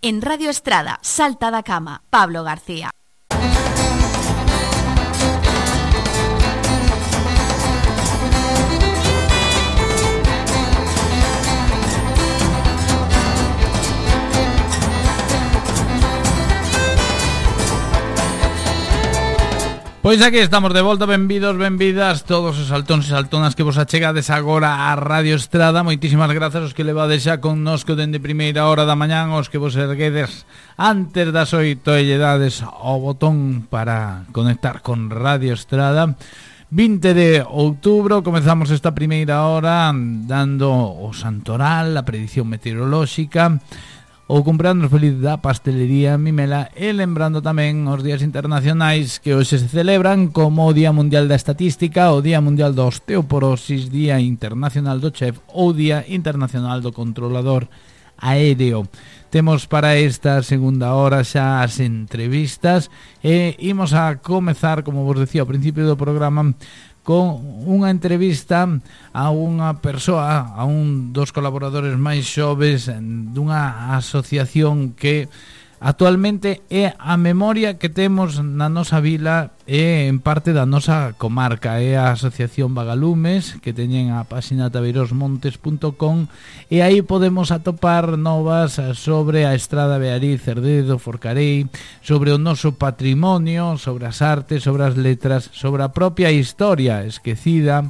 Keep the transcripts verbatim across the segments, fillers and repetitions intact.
En Radio Estrada, Salta da Cama, Pablo García. Pois aquí estamos de volta, benvidos, benvidas todos os saltóns e saltonas que vos achegades agora a Radio Estrada. Moitísimas grazas aos que levades xa connosco dende primeira hora da mañán, aos que vos erguedes antes das oito e lle dades o botón para conectar con Radio Estrada. vinte de outubro, comezamos esta primeira hora dando o santoral, a predición meteorolóxica, ou comprando feliz da pastelería Mimela, e lembrando tamén os días internacionais que hoxe se celebran, como o Día Mundial da Estatística, o Día Mundial da Osteoporosis, Día Internacional do Chef ou Día Internacional do Controlador Aéreo. Temos para esta segunda hora xa as entrevistas e imos a comezar, como vos decía ao principio do programa, con unha entrevista a unha persoa, a un dos colaboradores máis xoves dunha asociación que actualmente é a memoria que temos na nosa vila e en parte da nosa comarca. É a Asociación Vagalumes, que teñen a páxina tabeirosmontes punto com, e aí podemos atopar novas sobre a Estrada Beariz, Cerdedo, Forcarei, sobre o noso patrimonio, sobre as artes, sobre as letras, sobre a propia historia esquecida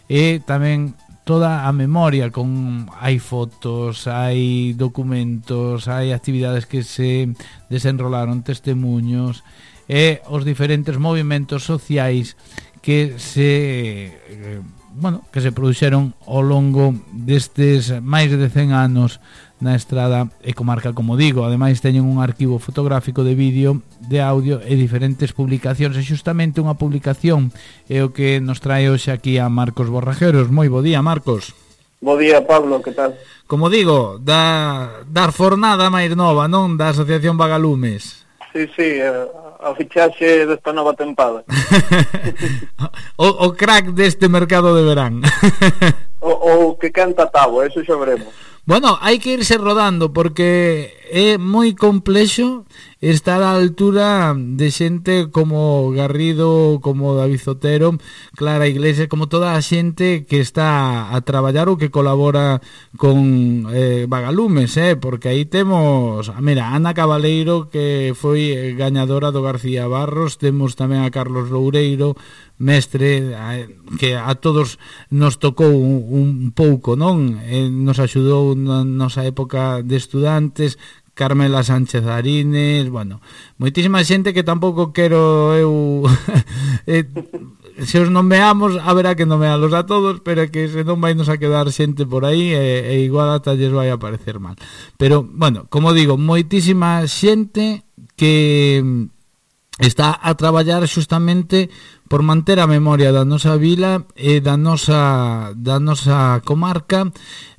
e tamén toda a memoria, con hai fotos, hai documentos, hai actividades que se desenrolaron, testemunhos e os diferentes movimentos sociais que se eh, bueno, que se produxeron ao longo destes máis de cen anos na Estrada e comarca, como digo. Ademais teñen un arquivo fotográfico de vídeo, de audio e diferentes publicacións, e xustamente unha publicación é o que nos trae hoxe aquí a Marcos Borrajeros. Moi bo día, Marcos. Bo día, Pablo, que tal? Como digo, da, da fornada máis nova, non? Da Asociación Vagalumes. Sí, sí, a fichaxe desta nova tempada. o, o crack deste mercado de verán. o, o que canta Tabo, eso xa veremos. Bueno, hai que irse rodando porque é moi complexo estar á altura de xente como Garrido, como David Zotero, Clara Iglesias, como toda a xente que está a traballar ou que colabora con eh, Vagalumes, eh, porque aí temos, mira, Ana Cabaleiro, que foi gañadora do García Barros, temos tamén a Carlos Loureiro, mestre, que a todos nos tocou un, un pouco, non? Eh, nos axudou na nosa época de estudantes, Carmela Sánchez Arines, bueno, moitísima xente que tampouco quero eu eh, se os nomeamos, haberá que nomealos a todos, pero que se non vai nos a quedar xente por aí e, e igual ata lles vai a parecer mal. Pero, bueno, como digo, moitísima xente que está a traballar xustamente por manter a memoria da nosa vila e da nosa, da nosa comarca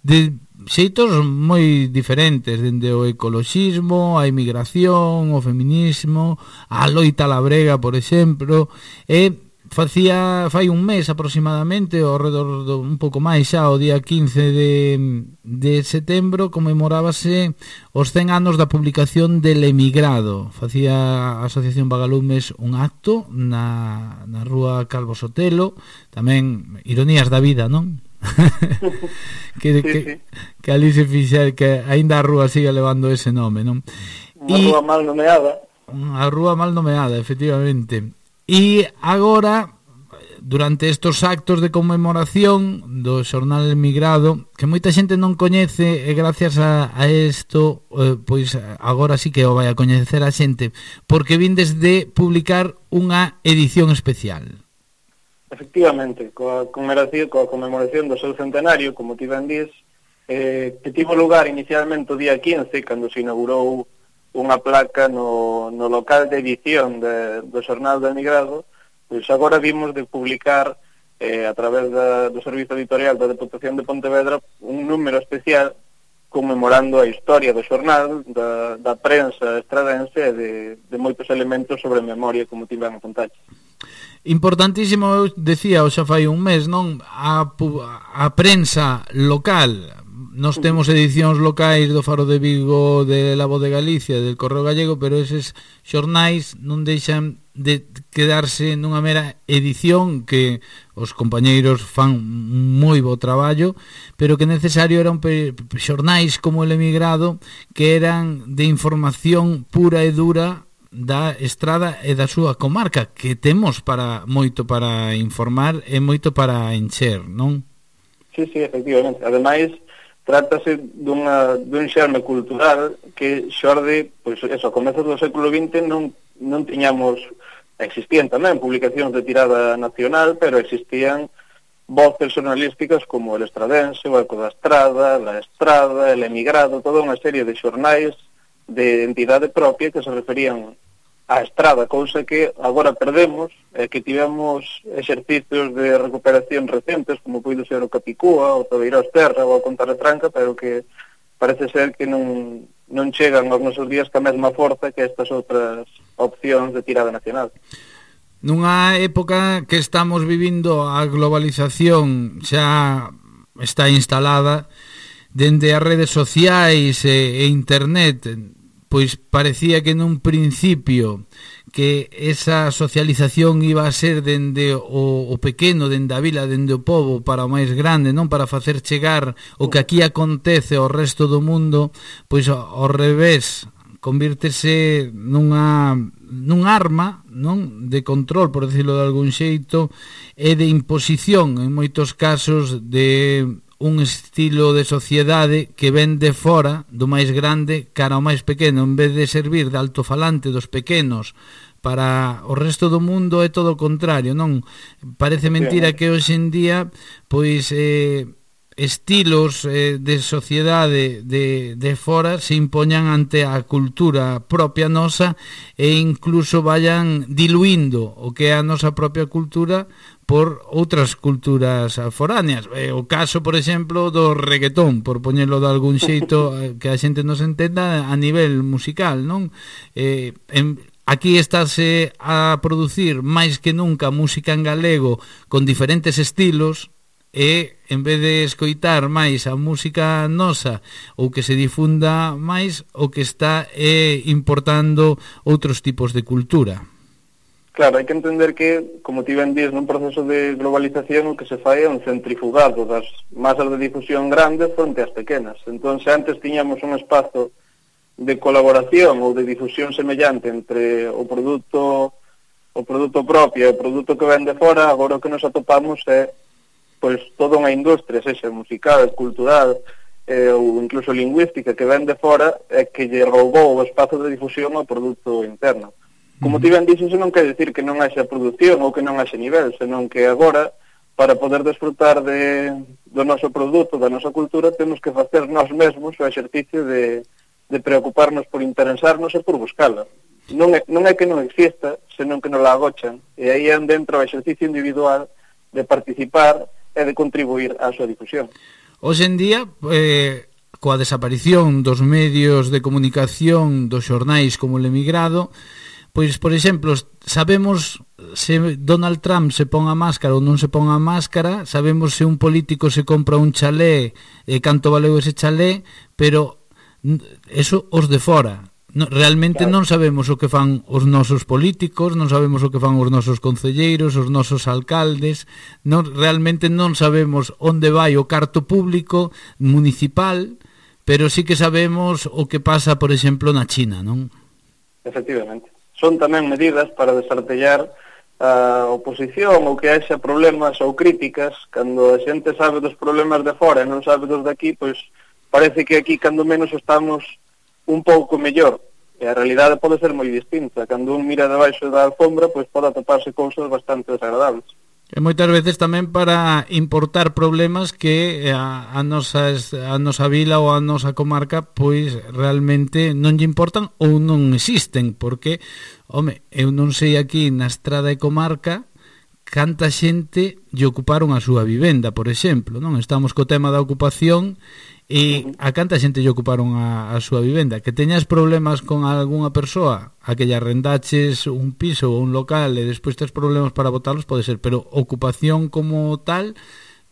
de xeitos moi diferentes, dende o ecoloxismo, a emigración, o feminismo, a loita labrega, por exemplo, e facía fai un mes aproximadamente, ao redor do, un pouco máis xa, o día quince de, de setembro, conmemorábase os cen anos da publicación del Emigrado. Facía a Asociación Vagalumes un acto na, na rúa Calvo Sotelo, tamén ironías da vida, non? que, sí, que, sí. que ali se fixa, que aínda a rúa siga levando ese nome, non? Unha rúa mal nomeada. Unha rúa mal nomeada, efectivamente. E agora, durante estos actos de conmemoración do xornal Emigrado, que moita xente non coñece, e gracias a, a isto, eh, pois agora sí que o vai a coñecer a xente, porque vindes de publicar unha edición especial. Efectivamente, coa conmemoración, coa conmemoración do seu centenario, como ti ben dís, eh, que tivo lugar inicialmente o día quince, cando se inaugurou unha placa no, no local de edición de, do xornal do Emigrado. Pois agora vimos de publicar eh, a través da, do servizo editorial da Deputación de Pontevedra un número especial conmemorando a historia do xornal, da, da prensa estradense e de, de moitos elementos sobre memoria, como ti ben a contar. Importantísimo, eu decía, o xa fai un mes, non? A, a prensa local Nos temos edicións locais do Faro de Vigo, de La Voz de Galicia, del Correo Gallego, pero eses xornais non deixan de quedarse nunha mera edición que os compañeiros fan moi bo traballo, pero que necesario eran xornais como El Emigrado, que eran de información pura e dura da Estrada e da súa comarca, que temos para moito para informar e moito para encher, non? Sí, sí, efectivamente. Ademais, trátase dunha, dun xerme cultural que xorde, pois, eso, a comezos do século vinte non, non tiñamos, existían tamén publicacións de tirada nacional, pero existían voces xornalísticas como El Estradense, o Eco da Estrada, La Estrada, El Emigrado, toda unha serie de xornais de entidade propia que se referían á Estrada, cousa que agora perdemos, e que tivemos exercicios de recuperación recentes, como puido ser o Capicúa, o Tobeirós Terra, ou a Contarretranca, pero que parece ser que non, non chegan aos nosos días ca mesma forza que estas outras opcións de tirada nacional. Nunha época que estamos vivindo, a globalización xa está instalada, dende as redes sociais e, e internet, pois parecía que nun principio que esa socialización iba a ser dende o, o pequeno, dende a vila, dende o pobo para o máis grande, non para facer chegar o que aquí acontece ao resto do mundo, pois ao revés, convírtese nunha nun arma, non, de control, por decirlo de algún xeito, e de imposición en moitos casos de un estilo de sociedade que ven de fora do máis grande cara ao máis pequeno, en vez de servir de altofalante dos pequenos para o resto do mundo, é todo o contrario, non? Parece mentira que hoxe en día pois eh, estilos eh, de sociedade de, de fora se impoñan ante a cultura propia nosa e incluso vayan diluindo o que é a nosa propia cultura por outras culturas foráneas. Eh, o caso, por exemplo, do reggaetón, por poñelo de algún xeito que a xente nos entenda a nivel musical, non? Eh, en, aquí estáse a producir máis que nunca música en galego con diferentes estilos, e en vez de escoitar máis a música nosa ou que se difunda máis, o que está é importando outros tipos de cultura. Claro, hai que entender que, como ti ben dís, nun proceso de globalización o que se fai é un centrifugado das masas de difusión grandes fronte ás pequenas. Entón, se antes tiñamos un espazo de colaboración ou de difusión semellante entre o produto o produto propio e o produto que ven de fora, agora o que nos atopamos é pois toda unha industria, sexa musical, cultural eh, ou incluso lingüística que ven de fora é que lle roubou o espazo de difusión ao produto interno. Como ti ben dixes, non quer decir que non haxa produción ou que non haxa nivel, senón que agora, para poder desfrutar de, do noso produto, da nosa cultura, temos que facer nós mesmos o exercicio de, de preocuparnos por interesarnos e por buscala. Non é, non é que non exista, senón que non la agochan, e aí é dentro o exercicio individual de participar e de contribuir á súa difusión. Hoxe en día, eh, coa desaparición dos medios de comunicación dos xornais como El Emigrado, pois, por exemplo, sabemos se Donald Trump se pon a máscara ou non se pon a máscara, sabemos se un político se compra un chalé e canto valeu ese chalé, pero eso os de fora. No, realmente claro. Non sabemos o que fan os nosos políticos, non sabemos o que fan os nosos concelleiros, os nosos alcaldes, non, realmente non sabemos onde vai o carto público municipal, pero sí que sabemos o que pasa, por exemplo, na China, non? Efectivamente. Son tamén medidas para desartellar a oposición ou que haxa problemas ou críticas. Cando a xente sabe dos problemas de fora e non sabe dos de aquí, pois parece que aquí cando menos estamos un pouco mellor. E a realidade pode ser moi distinta. Cando un mira debaixo da alfombra, pois pode atoparse cousas bastante desagradables. E moitas veces tamén para importar problemas que a, a, nosa, a nosa vila ou a nosa comarca pois realmente non lle importan ou non existen, porque, home, eu non sei aquí na Estrada e comarca canta xente lle ocuparon a súa vivenda, por exemplo, non? Estamos co tema da ocupación e a canta xente lle ocuparon a, a súa vivenda. Que teñas problemas con algunha persoa a que lle arrendaches un piso ou un local e despois tes problemas para botalos, pode ser, pero ocupación como tal,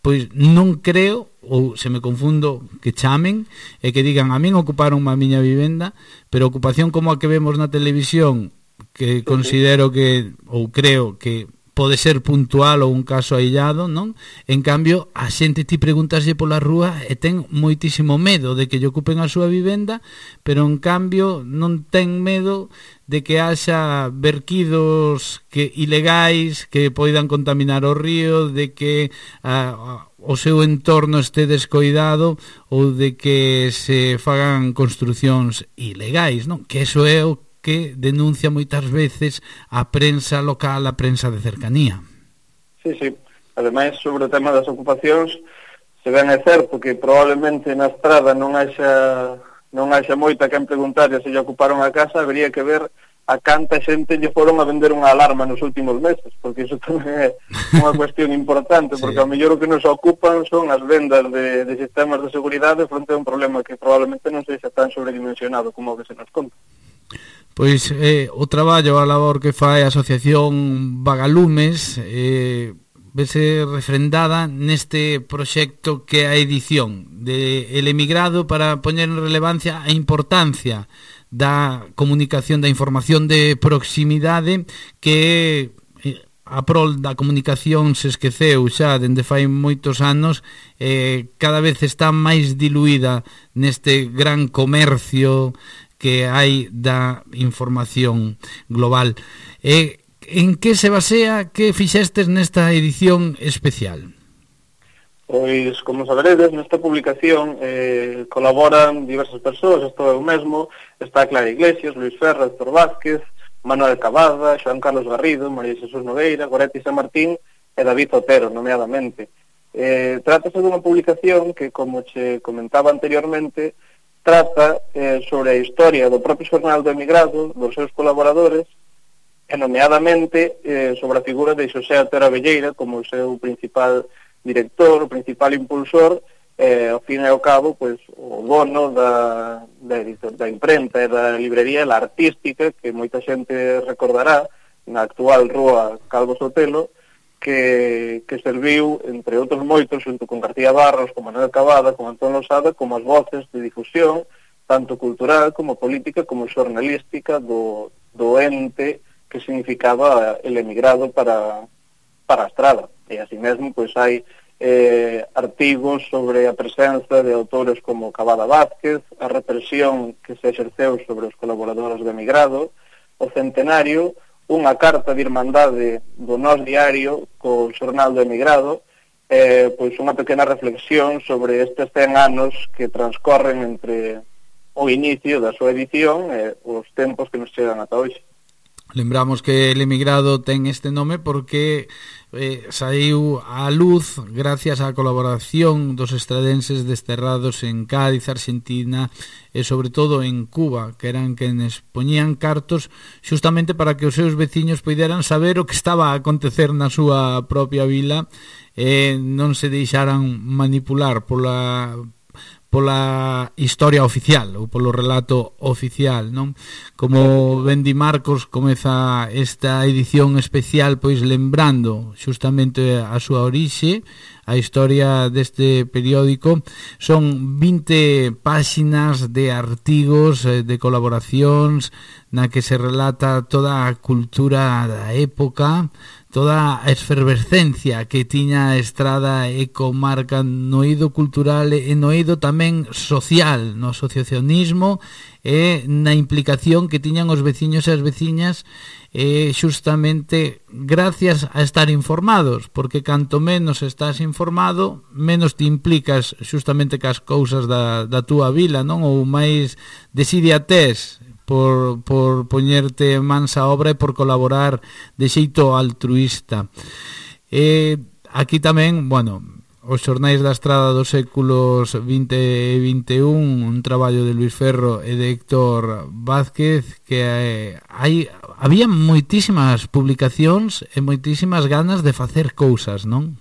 pois non creo, ou se me confundo, que chamen e que digan a min ocuparon a miña vivenda, pero ocupación como a que vemos na televisión, que considero que, ou creo que pode ser puntual ou un caso aillado, non? En cambio, a xente ti preguntaslle pola rúa e ten moitísimo medo de que lle ocupen a súa vivenda, pero en cambio non ten medo de que haxa verquidos que ilegais que poidan contaminar o río, de que a, a, o seu entorno este descoidado ou de que se fagan construcións ilegais, non? Que eso é o que denuncia moitas veces a prensa local, a prensa de cercanía. Sí, sí. Ademais, sobre o tema das ocupacións, se ben é certo que probablemente na estrada non haxa non haxa moita quen preguntar se lle ocuparon a casa, habería que ver a canta xente lle foron a vender unha alarma nos últimos meses, porque iso tamén é unha cuestión importante, porque sí. Ao mellor o que nos ocupan son as vendas de, de sistemas de seguridade fronte a un problema que probablemente non sexa tan sobredimensionado como o que se nos conta. Pois eh, o traballo, a labor que fai a Asociación Vagalumes eh, vese refrendada neste proxecto que é a edición de El Emigrado, para poñer en relevancia a importancia da comunicación, da información de proximidade, que a prol da comunicación se esqueceu xa dende fai moitos anos, eh, cada vez está máis diluída neste gran comercio que hai da información global. Eh, en que se basea, que fixestes nesta edición especial? Pois, como saberedes, nesta publicación eh, colaboran diversas persoas, estou eu mesmo, está Clara Iglesias, Luis Ferra, Héctor Vázquez, Manuel Cavada, Xoán Carlos Garrido, María Xesús Nogueira, Goretti San Martín e David Otero, nomeadamente. Eh, trátase dunha publicación que, como che comentaba anteriormente, trata eh, sobre a historia do propio xornal do Emigrado, dos seus colaboradores, e nomeadamente eh, sobre a figura de Xosé Otero Abelleira como o seu principal director, o principal impulsor, e ao fin e ao cabo, pois, o dono da, da, editor, da imprenta e da librería La Artística, que moita xente recordará, na actual rúa Calvo Sotelo, que, que serviu, entre outros moitos, xunto con García Barros, con Manuel Cavada, con Antón Losada, como as voces de difusión, tanto cultural como política, como xornalística do, do ente que significaba El Emigrado para, para a estrada. E así mesmo, pois, hai eh, artigos sobre a presenza de autores como Cavada Vázquez, a represión que se exerceu sobre os colaboradores do Emigrado, o centenario, unha carta de irmandade do Nós Diario co xornal do Emigrado, eh, pois unha pequena reflexión sobre estes cen anos que transcorren entre o inicio da súa edición e os tempos que nos chegan ata hoxe. Lembramos que El Emigrado ten este nome porque eh, saiu á luz gracias á colaboración dos estradenses desterrados en Cádiz, Argentina e sobre todo en Cuba, que eran quenes poñían cartos xustamente para que os seus veciños poideran saber o que estaba a acontecer na súa propia vila e non se deixaran manipular pola pola historia oficial ou polo relato oficial, non? Como ben di Marcos, comeza esta edición especial pois lembrando xustamente a súa orixe, a historia deste periódico. Son vinte páxinas de artigos, de colaboracións na que se relata toda a cultura da época, toda a efervescencia que tiña a estrada e comarca no eido cultural e no eido tamén social, no asociacionismo e na implicación que tiñan os veciños e as veciñas, e xustamente gracias a estar informados, porque canto menos estás informado, menos te implicas xustamente cas cousas da, da túa vila, non? Ou máis desidia tes por, por poñerte mans a obra e por colaborar de xeito altruista. E aquí tamén, bueno, os xornais da estrada dos séculos vinte e vinte e un, un traballo de Luis Ferro e de Héctor Vázquez, que eh, hai, había moitísimas publicacións e moitísimas ganas de facer cousas, non?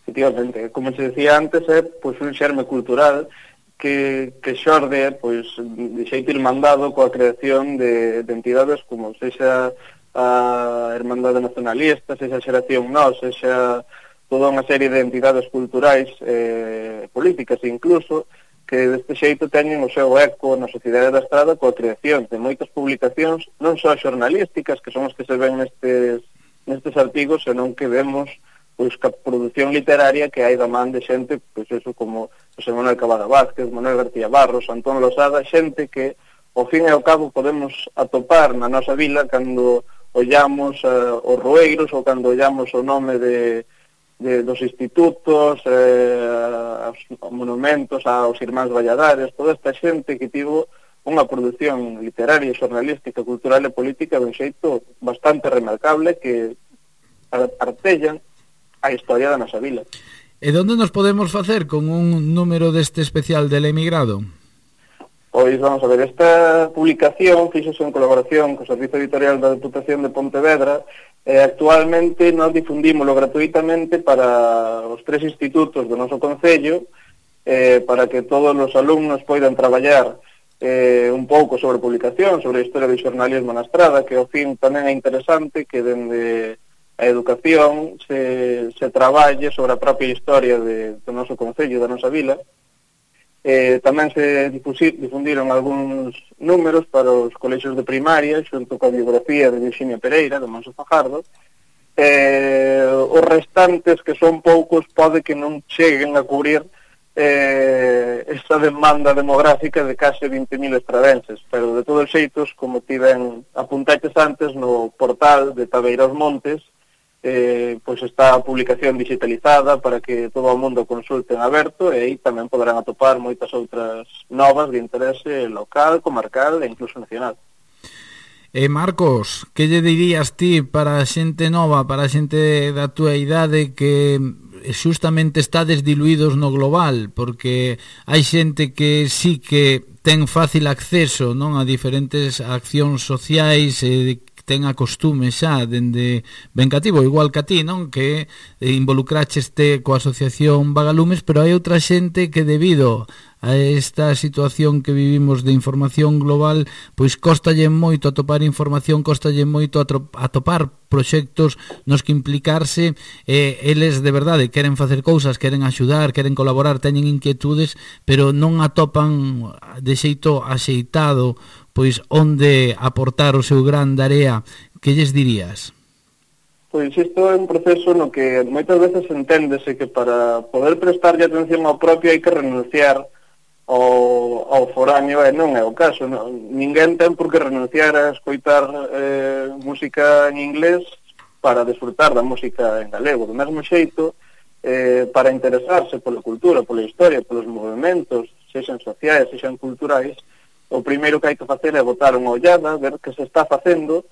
Efectivamente, como se decía antes, é pois, un xerme cultural que, que xorde pois, de xeito irmandado coa creación de, de entidades como sexa a Hermandade Nacionalista, sexa a Xeración Nós, sexa toda unha serie de entidades culturais eh, políticas incluso, que deste xeito teñen o seu eco na sociedade da Estrada coa creación de moitas publicacións, non só xornalísticas, que son as que se ven nestes, nestes artigos, senón que vemos pois ca produción literaria que hai da man de xente, pois eso como José Manuel Cavada Vázquez, Manuel García Barros, Antón Losada, xente que ao fin e ao cabo podemos atopar na nosa vila cando ollamos uh, os Rueiros ou cando ollamos o nome de De, dos institutos, eh, aos monumentos, aos irmáns Valladares, toda esta xente que tivo unha produción literaria, xornalística, cultural e política de un xeito bastante remarcable que artellan a historia da nosa vila. E onde nos podemos facer con un número deste especial del emigrado? Pois vamos a ver, esta publicación fixose en colaboración co Servizo Editorial da Deputación de Pontevedra e actualmente nos difundímoslo gratuitamente para os tres institutos do noso concello eh, para que todos os alumnos poidan traballar eh, un pouco sobre publicación, sobre a historia do xornalismo na Estrada, que ao fin tamén é interesante que dende a educación se, se traballe sobre a propia historia de, do noso concello, da nosa vila. Eh, tamén se difundiron algúns números para os colexios de primaria xunto coa biografía de Virxinia Pereira de Monso Fajardo. Eh, os restantes, que son poucos, pode que non cheguen a cubrir eh, esa demanda demográfica de case vinte mil estradenses, pero de todos os xeitos, como tiven apuntaches antes no portal de Tabeiros Montes, Eh, pois está a publicación digitalizada para que todo o mundo consulte en aberto e aí tamén poderán atopar moitas outras novas de interese local, comarcal e incluso nacional. E Marcos, que lle dirías ti para a xente nova, para a xente da túa idade que xustamente estades diluídos no global, porque hai xente que sí que ten fácil acceso, non, a diferentes accións sociais e ten a costume xa dende ben cativo, igual que a ti, non? Que involucracheste coa asociación Vagalumes, pero hai outra xente que debido a esta situación que vivimos de información global, pois costalle moito atopar información, costalle moito atopar proxectos nos que implicarse, e eles de verdade queren facer cousas, queren axudar, queren colaborar, teñen inquietudes, pero non atopan de xeito axeitado pois onde aportar o seu gran area. Que lles dirías? Pois isto é un proceso no que moitas veces enténdese que para poder prestarlle atención ao propio hai que renunciar ao, ao foráneo, e non é o caso. Non? Ninguén ten por que renunciar a escoitar eh, música en inglés para desfrutar da música en galego. Do mesmo xeito, eh, para interesarse pola cultura, pola historia, polos movimentos, sexan sociais, sexan culturais, o primeiro que hai que facer é botar unha ollada, ver que se está facendo,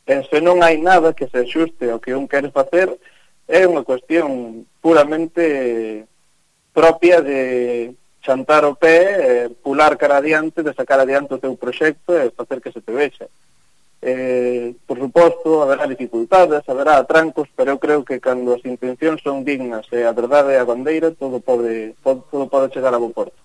e se non hai nada que se axuste ao que un quere facer, é unha cuestión puramente propia de chantar o pé, pular cara adiante, de sacar adiante o teu proxecto e facer que se te vexa. Eh, por suposto, haberá dificultades, haberá atrancos, pero eu creo que cando as intencións son dignas e a verdade é a bandeira, todo pode, todo pode chegar a bo porto.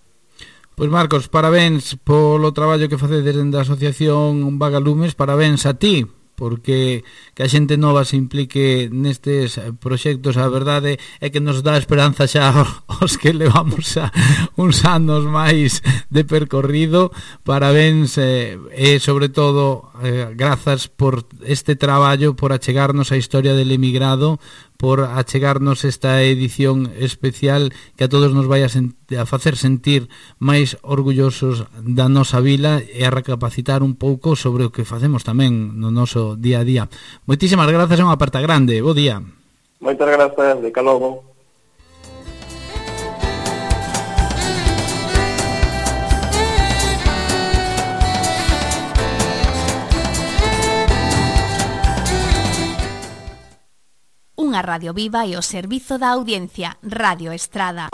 Pois Marcos, parabéns polo traballo que facedes dende a Asociación Vagalumes, parabéns a ti, porque que a xente nova se implique nestes proxectos, a verdade é que nos dá esperanza xa os que levamos xa uns anos máis de percorrido. Parabéns eh, e sobre todo eh, grazas por este traballo, por achegarnos a historia del emigrado, por achegarnos esta edición especial que a todos nos vai a, a facer sentir máis orgullosos da nosa vila e a recapacitar un pouco sobre o que facemos tamén no noso día a día. Moitísimas grazas, é unha aperta grande. Bo día. Moitas grazas, de calogo. Unha radio viva e o servizo da audiencia, Radio Estrada.